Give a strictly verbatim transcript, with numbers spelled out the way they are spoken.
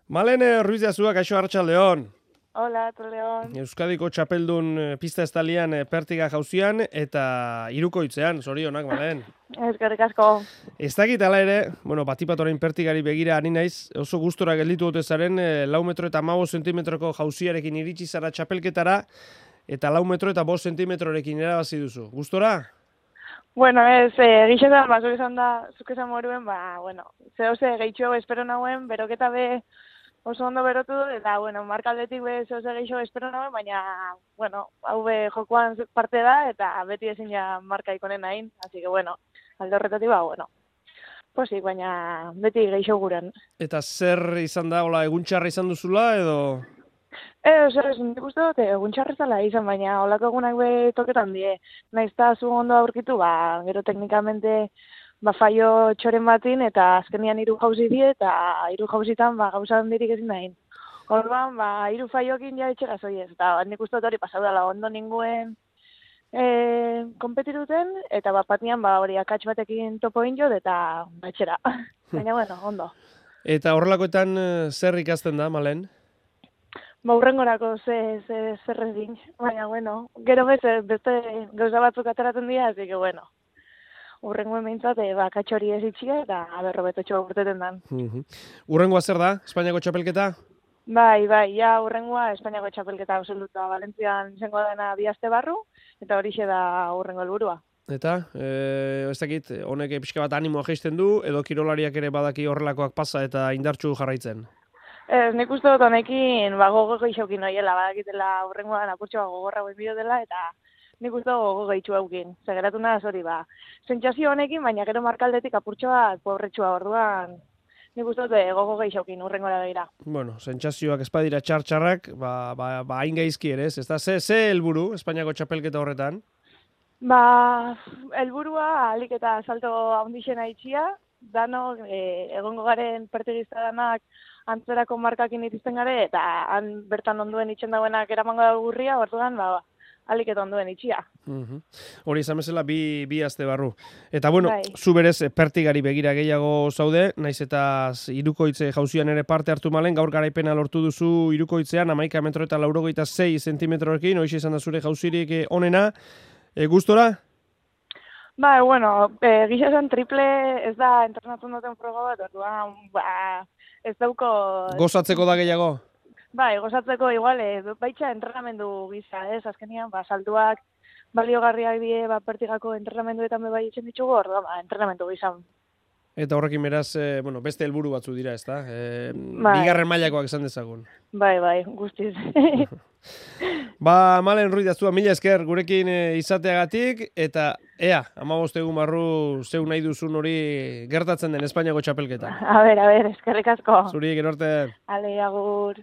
Malene Ruiz de Azua, kaixo Arratsaldeon. Hola, León. Euskadiko txapeldun pista estalian pertiga jauzian eta hirukoitzean, zorionak, Malen. Eskerrik asko. Ez dakit ala ere, bueno, batipat orain pertigari begira ari naiz, oso gustora gelditu dute zaren, lau metro eta hamabost zentimetroko jauziarekin iritsi zara txapelketara, eta lau metro eta bost zentimetrorekin erabazi duzu. Gustora? Bueno, ez, eh, gixetan, ba, zuk esan da, zuk esan moruen, ba, bueno, zeo ze gehitxo espero nauen, beroketa be oso ondo berotu dut, eta, bueno, markaldetik be zeo ze gehitxo espero nauen, baina, bueno, hau be jokoan parte da, eta beti ezin ja marka ikonen nahin, así que, bueno, alde horretatik, ba, bueno, posik, baina beti gehitxo guren. Eta zer izan da, hola, egun txarra izan duzula, edo... Ez, ez, nik uste dut, egun txarrezala izan, baina olako egunak be toketan die. Naizta zu ondo aurkitu, ba, gero teknikamente ba, faio txoren batin, eta azkenian hiru jauzi die, eta hiru jauzitan ba, gauza handirik ezin dahin. Orduan, ba, hiru faiokin ja etxe gazoi ez, eta nik uste dut hori pasau dela ondo ninguen e, konpetiruten, eta bat patian ba, hori akats batekin topo injo, eta batxera. Baina, bueno, ondo. Eta horrelakoetan zer ikasten da, Malen? Ba, urrengorako ze, ze, zer egin, baina, bueno, gero beste, beste gauza batzuk ateratzen dira, así que, bueno, urrengoen behintzat, e, ba, katxori ez itxia, eta aberro betotxo urteten dan. Uh-huh. Urrengoa zer da, Espainiako txapelketa? Bai, bai, ja, urrengoa Espainiako txapelketa absoluta, Valentzian izango dena bi aste barru, eta horixe da urrengo helburua. Eta, e, ez dakit, honek pixka bat animoa jaisten du, edo kirolariak ere badaki horrelakoak pasa eta indartsu jarraitzen? Ez, nik uste dut honekin, ba, gogo gehixokin noiela, badakitela urrengoan apurtxoa gogorra guen bideo dela, eta nik uste dut gogo gehitxu haukin. Zegeratu nada, hori, ba, sentsazio honekin, baina gero markaldetik apurtxoa pobretxua orduan, nik uste dut gogo gehixokin urrengora begira. Bueno, sentsazioak espadira txar-txarrak, ba, ba, ba hain gaizki ere, ez da, ze, ze helburu Espainiako txapelketa horretan? Ba, helburua alik eta salto handixena itxia, dano, e, egongo garen pertigista danak antzerako markakin itizten gare, eta han bertan onduen itxen dauenak eramango da gurria, orduan, ba, alik eta onduen itxia. Uh-huh. Hori izan bezala bi, bi aste barru. Eta bueno, bai. Zu berez pertigari begira gehiago zaude, naiz eta hirukoitze jauzian ere parte hartu Malen, gaur garaipena lortu duzu hirukoitzean, hamaika metro eta laurogeita sei zentimetrorekin, horixe izan da zure jauzirik onena, e, gustora? Ba, bueno, e, gisa esan triple ez da entrenatzen duten froga bat, orduan, ba, ez dauko... Gozatzeko da gehiago? Bai, gozatzeko igual, ez, baitxa entrenamendu gisa, ez, azkenian, ba, saltuak baliogarriak die, ba, pertigako entrenamenduetan be bai etxen ditugu, orduan, ba, entrenamendu gisa. Eta horrekin beraz, e, bueno, beste helburu batzu dira, ez da? E, bai. Bigarren mailakoak esan dezagun. Bai, bai, guztiz. Ba, Malen Ruiz de Azua, mila esker gurekin izateagatik, eta ea, hamabost egun barru zeu nahi duzun hori gertatzen den Espainiako txapelketa. A ber, a ber, eskerrik asko. Zuri, gero arte. Ale, agur.